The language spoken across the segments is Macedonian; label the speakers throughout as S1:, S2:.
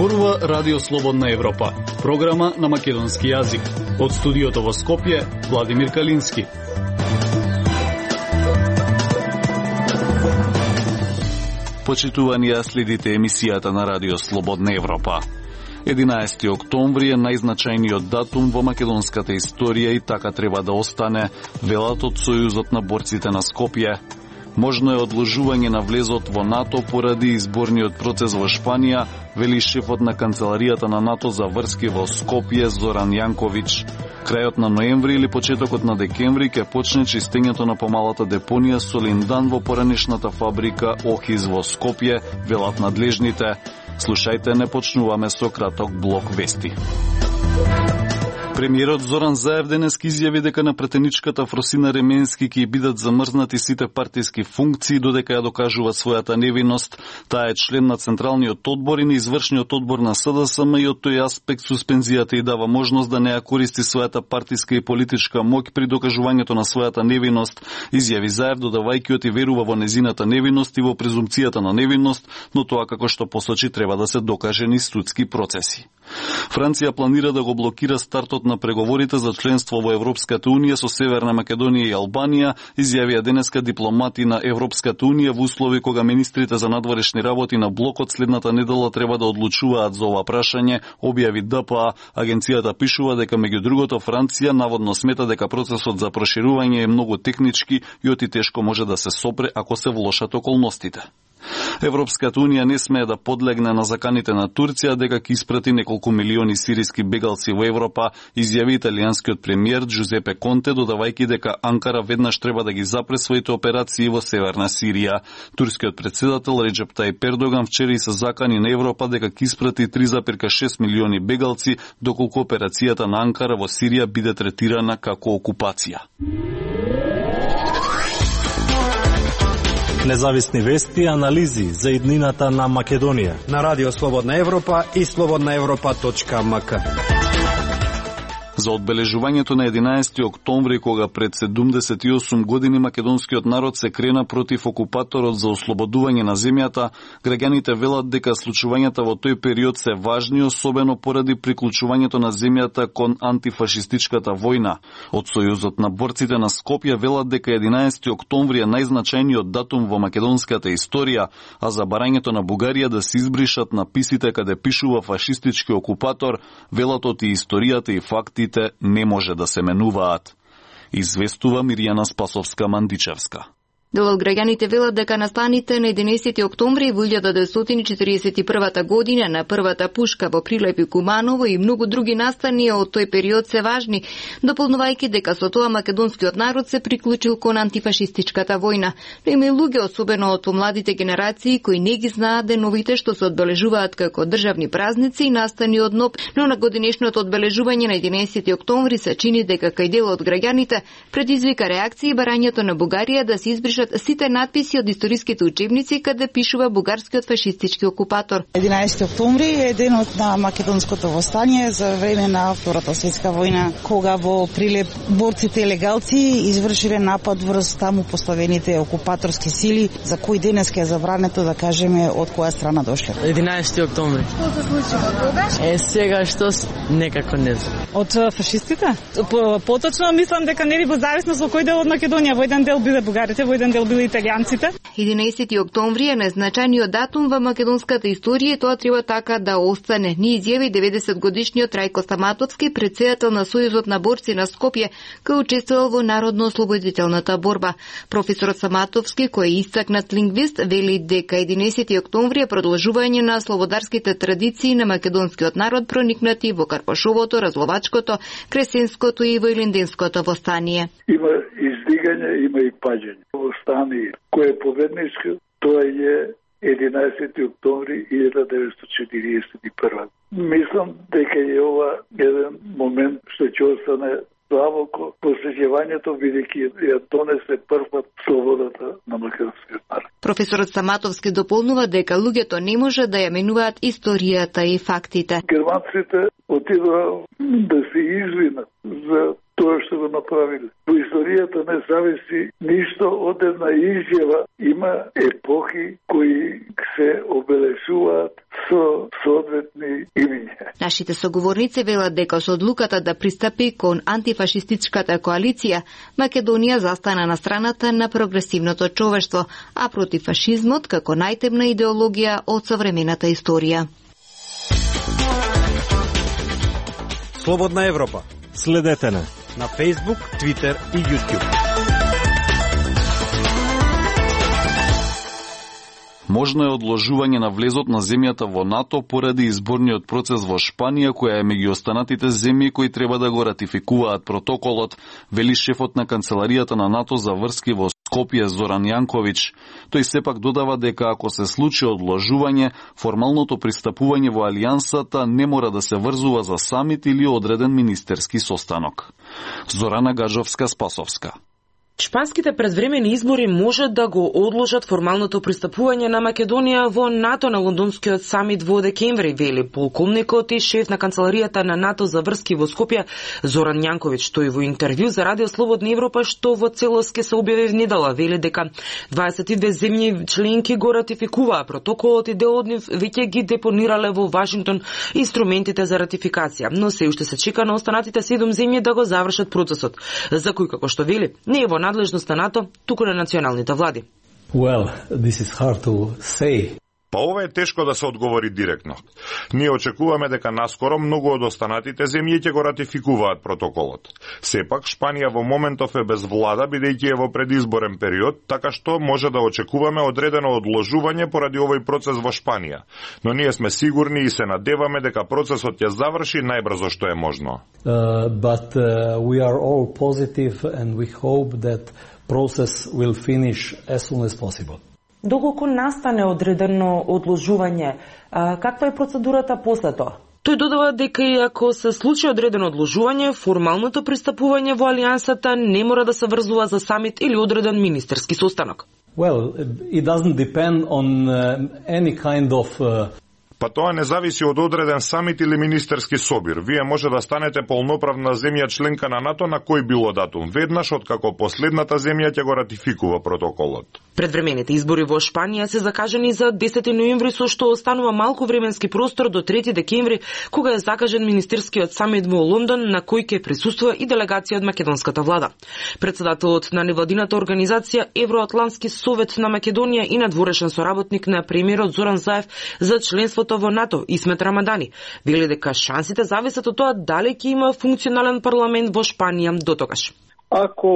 S1: Зборува Радио Слободна Европа, програма на македонски јазик. Од студиото во Скопје, Владимир Калински. Почитувани, ја следите емисијата на Радио Слободна Европа. 11 октомври е најзначајниот датум во македонската историја и така треба да остане, велат од Сојузот на борците на Скопје. Можно е одложување на влезот во НАТО поради изборниот процес во Шпанија, вели шефот на канцеларијата на НАТО за врски во Скопје Зоран Јанковиќ. Крајот на ноември или почетокот на декември ќе почне чистењето на помалата депонија Солиндан во поранешната фабрика Охиз во Скопје, велат надлежните. Слушајте, не почнуваме со краток блок вести. Премиерот Зоран Заев денеска изјави дека на претеничката Фросина Ременски ќе бидат замрзнати сите партиски функции додека ја докажува својата невиност. Таа е член на Централниот одбор и на извршниот одбор на СДСМ и од тој аспект суспензијата и дава можност да не ја користи својата партиска и политичка моќ при докажувањето на својата невиност, изјави Заев, додавајќи оти верува во незината невиност и во презумпцијата на невиност, но тоа како што посочи треба да се докаже низ судски процеси. Франција планира да го блокира стартот на преговорите за членство во Европската Унија со Северна Македонија и Албанија, изјавија денеска дипломати на Европската Унија во услови кога министрите за надворешни работи на блокот следната недела треба да одлучуваат за ова прашање, објави ДПА. Агенцијата пишува дека меѓу другото Франција наводно смета дека процесот за проширување е многу технички и оти тешко може да се сопре ако се влошат околностите. Европската Унија не смее да подлегне на заканите на Турција дека ќе испрати неколку милиони сириски бегалци во Европа, изјави италијанскиот премиер Джузепе Конте, додавајќи дека Анкара веднаш треба да ги запре своите операции во Северна Сирија. Турскиот председател Реджеп Тајип Ердоган вчера и се закани на Европа дека ќе испрати 3,6 милиони бегалци, доколку операцијата на Анкара во Сирија биде третирана како окупација.
S2: Независни вести и анализи за иднината на Македонија
S3: на Радио Слободна Европа и slobodnaevropa.mk.
S1: За одбележувањето на 11 октомври, кога пред 78 години македонскиот народ се крена против окупаторот за ослободување на земјата, граѓаните велат дека случувањата во тој период се важни, особено поради приклучувањето на земјата кон антифашистичката војна. Од Сојузот на борците на Скопје велат дека 11 октомври е најзначајниот датум во македонската историја, а за барањето на Бугарија да се избришат написите каде пишува фашистички окупатор, велат оти историјата и факти не може да се менуваат. Известува Мирјана Спасовска-Мандичевска.
S4: Дел од граѓаните велат дека настаните на 11 октомври во 1941 година на првата пушка во Прилеп и Куманово и многу други настани од тој период се важни, дополнувајќи дека со тоа македонскиот народ се приклучил кон антифашистичката војна. Но има и луѓе, особено од помладите генерации, кои не ги знаат деновите што се одбележуваат како државни празници и настани од НОП, но на годинешното одбележување на 11 октомври се чини дека кај дел од граѓаните предизвика реакции и барањето на Бугарија да се избришат сите надписи од историските учебници каде пишува бугарскиот фашистички окупатор.
S5: 11 октомври е денот на македонското востание за време на Втората светска војна, кога во Прилеп борците легалци извршиле напад врз таму поставените окупаторски сили, за кои денеска е забрането да кажеме од која страна дошле.
S6: 11 октомври.
S5: Што се случи тогаш?
S6: Сега што некако не знам.
S7: Од фашистите? Поточно мислам дека нели во зависност во кој дел од Македонија, во еден дел биле бугарите, во еден дел биле италијанците.
S4: 11 октомври е најзначајниот датум во македонската историја и тоа треба така да остане. Ни изјави 90-годишниот Рајко Стаматовски, председател на Сојузот на борци на Скопје, кој учествувал во народно-ослободителната борба. Професорот Стаматовски, кој е истакнат лингвист, вели дека 11 октомври е продолжување на слободарските традиции на македонскиот народ проникнати во Карпашовото, Разловачкото, Кресенското и Војлинденското востание.
S8: Има издигање, има и паѓање. Востание кој е победничко, тоа е 11 октомври 1941. Мислам дека е ова еден момент што ќе остане длабоко посеќавањето, бидејќи ја донесе првпат слободата на македонскиот народ.
S4: Професорот Стаматовски дополнува дека луѓето не може да ја менуваат историјата и фактите.
S8: Германците отидоа да се извинат за тоа што го направиле. Во историјата не зависи ништо од една изјава. Има епохи кои се обележуваат со соодветни
S4: Нашите соговорници велат дека со одлуката да пристапи кон антифашистичката коалиција, Македонија застана на страната на прогресивното човештво, а против фашизмот како најтемна идеологија од современата историја.
S3: Слободна Европа.
S2: Следете на
S3: Facebook, Twitter и YouTube.
S1: Можно е одложување на влезот на земјата во НАТО поради изборниот процес во Шпанија, која е меѓу останатите земји кои треба да го ратификуваат протоколот, вели шефот на канцеларијата на НАТО за врски во Скопје Зоран Јанковиќ. Тој сепак додава дека ако се случи одложување, формалното пристапување во алијансата не мора да се врзува за самит или одреден министерски состанок. Зорана Гаджовска-Спасовска.
S9: Шпанските предвремени избори може да го одложат формалното пристапување на Македонија во НАТО на лондонскиот самит во декември, вели полковникот и шеф на канцеларијата на НАТО за врски во Скопје Зоран Јанковиќ. Тој во интервју за Радио Слободна Европа, што во целост ќе се објави внедела, вели дека 22 земји членки го ратификуваа протоколот и дел од нив веќе ги депонирале во Вашингтон инструментите за ратификација, но се уште се чека на останатите 7 земји да го завршат процесот, за кој, како што вели, не е во надлежност на НАТО, туку на националните влади.
S2: Well, this is hard to say.
S10: Па ова е тешко да се одговори директно. Ние очекуваме дека наскоро многу од останатите земји ќе го ратификуваат протоколот. Сепак, Шпанија во моментов е без влада, бидејќи е во предизборен период, така што може да очекуваме одредено одложување поради овој процес во Шпанија. Но ние сме сигурни и се надеваме дека процесот ќе заврши најбрзо што е можно.
S2: But we are all positive and we hope that process will finish as soon as possible.
S9: Доколку настане одредено одложување, каква е процедурата после тоа? Тој додава дека и ако се случи одредено одложување, формалното пристапување во алијансата не мора да се врзува за самит или одреден министерски состанок.
S2: Well, it doesn't depend on any kind of
S10: Па тоа не зависи од одреден самит или министерски собир. Вие може да станете полноправна земја членка на НАТО на кој било датум, веднаш откако последната земја ќе го ратификува протоколот.
S9: Предвремените избори во Шпанија се закажани за 10 ноември, со што останува малку временски простор до 3 декември, кога е закажен министерскиот самит во Лондон, на кој ќе присуствува и делегација од македонската влада. Председателот на невладината организација Евроатлантски совет на Македонија и надворешен соработник на премиерот Зоран Заев за членството во НАТО, Исмет Рамадани, вели дека шансите зависат од тоа дали ќе има функционален парламент во Шпанија дотогаш.
S8: Ако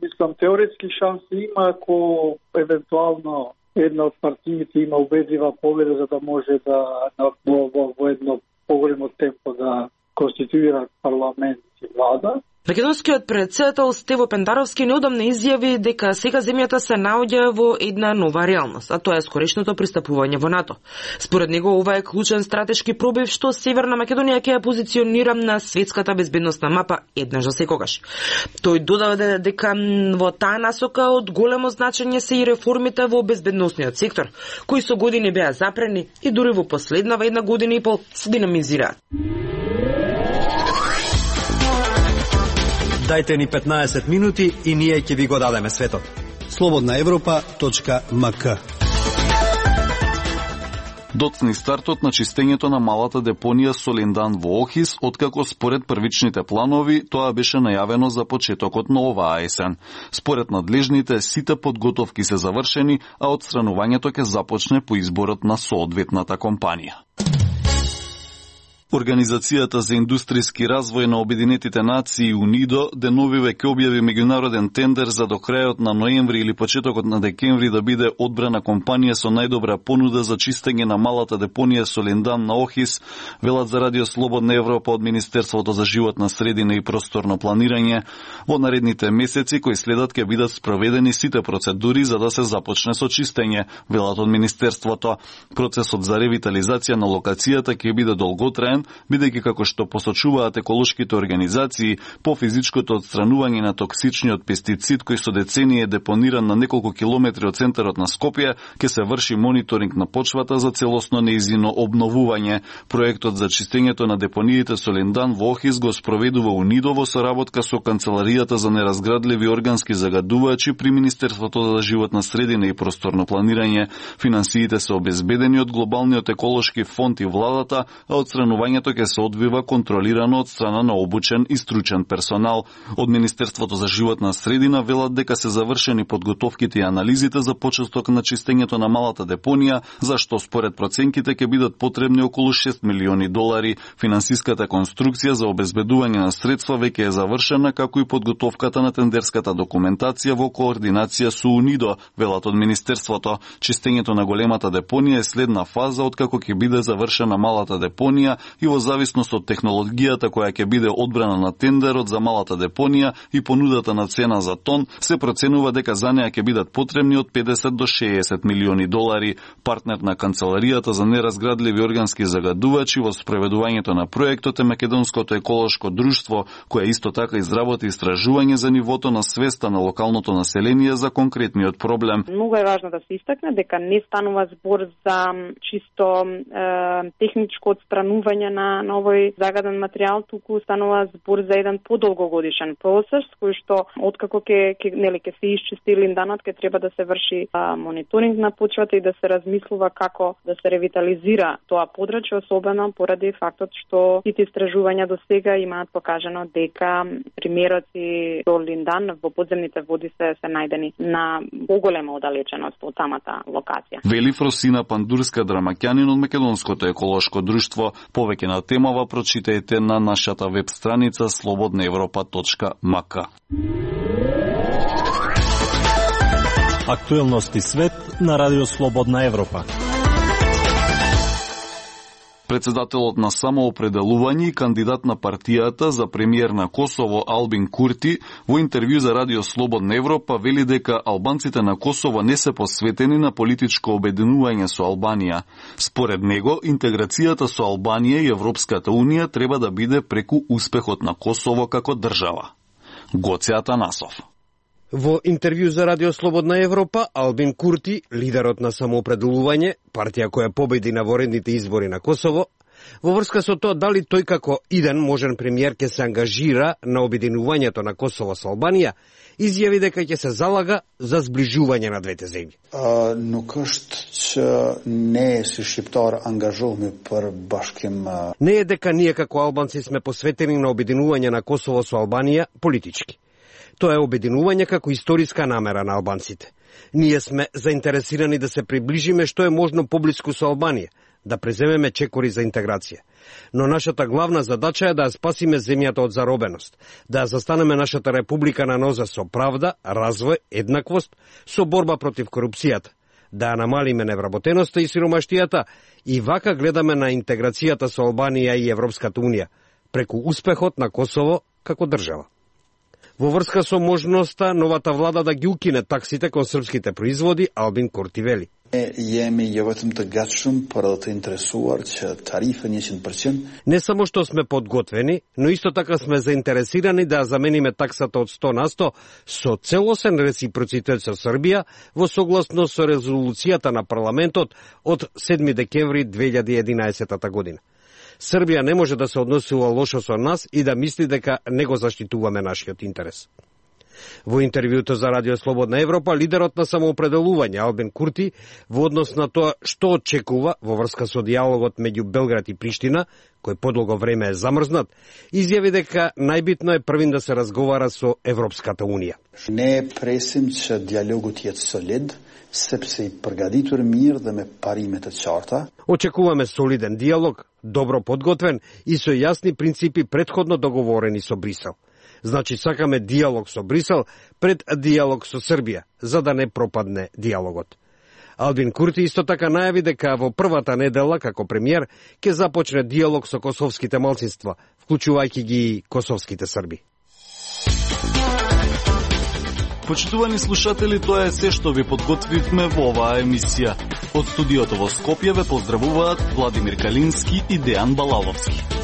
S8: мислам теоретски шанси има, ако евентуално една од партиите има убедлива победа за да може да во едно поголемо темпо да конституира парламент и влада.
S9: Македонскиот председател Стево Пендаровски неодамна изјави дека сега земјата се наоѓа во една нова реалност, а тоа е скорешното пристапување во НАТО. Според него ова е клучен стратешки пробив што Северна Македонија ќе ја позиционира на светската безбедносна мапа еднаш за секогаш. Тој додава дека во таа насока од големо значење се и реформите во безбедносниот сектор, кои со години беа запрени и дури во последнава една година и пол се динамизираат.
S3: Дајте ни 15 минути и ние ќе ви го дадеме светот. slobodnaevropa.mk.
S1: Доцни стартот на чистењето на малата депонија Солиндан во Охис, откако според првичните планови тоа беше најавено за почетокот на оваа есен. Според надлежните, сите подготовки се завршени, а отстранувањето ќе започне по изборот на соодветната компанија. Организацијата за индустријски развој на Обединетите нации УНИДО деновиве ќе објави меѓународен тендер за до крајот на ноември или почетокот на декември да биде одбрана компанија со најдобра понуда за чистење на малата депонија Солиндан на Охис, велат за Радио Слободна Европа од Министерството за животна средина и просторно планирање. Во наредните месеци кои следат ќе бидат спроведени сите процедури за да се започне со чистење, велат од Министерството. Процесот за ревитализација на локацијата ќе биде долготраен, бидејќи како што посочуваат еколошките организации, по физичкото отстранување на токсичниот пестицид кој со децении е депониран на неколку километри од центарот на Скопје, ќе се врши мониторинг на почвата за целосно нејзино обновување. Проектот за чистењето на депониите Солиндан во Охис го спроведува УНИДО во соработка со Канцеларијата за неразградливи органски загадувачи при Министерството за животна средина и просторно планирање. Финансиите се обезбедени од Глобалниот еколошки фонд и владата, а отстранување пребивањето ќе се одвива контролирано од страна на обучен и стручен персонал. Од Министерството за животна средина велат дека се завршени подготовките и анализите за почеток на чистењето на малата депонија, за што според проценките ќе бидат потребни околу $6 милиони. Финансиската конструкција за обезбедување на средства веќе е завршена, како и подготовката на тендерската документација во координација со УНИДО, велат од Министерството. Чистењето на големата депонија е следна фаза откако ќе биде завршена малата депонија и во зависност од технологијата која ќе биде одбрана на тендерот за малата депонија и понудата на цена за тон, се проценува дека за неа ќе бидат потребни од $50 до $60 милиони. Партнер на Канцеларијата за неразградливи органски загадувачи во спроведувањето на проектот е Македонското еколошко друштво, кое исто така изработи истражување за нивото на свеста на локалното население за конкретниот проблем.
S11: Многу е важно да се истакне дека не станува збор за чисто техничко отстранување на овој загаден материјал, туку станува збор за еден подолгогодишен процес кој што откако ќе се исчисти линданот, ќе треба да се врши мониторинг на почвата и да се размислува како да се ревитализира тоа подрачје, особено поради фактот што сите истражувања до сега имаат покажано дека примероци до линдан во подземните води се најдени на поголема оддалеченост од самата локација.
S1: Вели Фросина Пандурска, драмаќанин од Македонското еколошко друштво. Повеќе на темава прочитајте на нашата веб страница slobodnaevropa.mk.
S12: Актуелности свет на Радио Слободна Европа.
S1: Председателот на самоопределување и кандидат на партијата за премиер на Косово Албин Курти во интервју за Радио Слободна Европа вели дека албанците на Косово не се посветени на политичко обединување со Албанија. Според него, интеграцијата со Албанија и Европската Унија треба да биде преку успехот на Косово како држава. Гоце Атанасов.
S3: Во интервју за Радио Слободна Европа, Албин Курти, лидерот на самоопределување, партија која победи на воредните избори на Косово, во врска со тоа дали тој како иден можен премиер ќе се ангажира на обединувањето на Косово со Албанија, изјави дека ќе се залага за зближување на двете земји.
S13: Nuk është që ne si shqiptar angazhohemi për bashkim.
S3: Не е дека ние како албанци сме посветени на обединување на Косово со Албанија политички. Тоа е обединување како историска намера на албанците. Ние сме заинтересирани да се приближиме што е можно поблиску со Албанија, да преземеме чекори за интеграција. Но нашата главна задача е да ја спасиме земјата од заробеност, да ја застанеме нашата република на ноза со правда, развој, еднаквост, со борба против корупцијата, да ја намалиме невработеноста и сиромаштијата и вака гледаме на интеграцијата со Албанија и Европската Унија, преку успехот на Косово како држава. Во врска со можноста новата влада да ги укине таксите кон српските производи, Албин Курти вели. Не само што сме подготвени, но исто така сме заинтересирани да замениме таксата од 100% со целосен реципроцитет со Србија во согласност со резолуцијата на парламентот од 7 декември 2011 година. Србија не може да се односува лошо со нас и да мисли дека не го заштитуваме нашиот интерес. Во интервјуто за Радио Слободна Европа, лидерот на самоопределување Албин Курти во однос на тоа што очекува во врска со диалогот меѓу Белград и Приштина, кој подолго време е замрзнат, изјави дека најбитно е првин да се разговара со Европската Унија.
S13: Не пресим че диалогот е солид, sepse i përgatitur mirë dhe me parimet e qarta.
S3: Очекуваме солиден диалог, добро подготвен и со јасни принципи претходно договорени со Брисел. Значи сакаме диалог со Брисел пред диалог со Србија, за да не пропадне диалогот. Албин Курти исто така најави дека во првата недела како премиер ќе започне диалог со косовските малцинства, вклучувајќи ги и косовските срби.
S1: Почитувани слушатели, тоа е се што ви подготвивме во оваа емисија. Од студиото во Скопје ве поздравуваат Владимир Калински и Дејан Балаловски.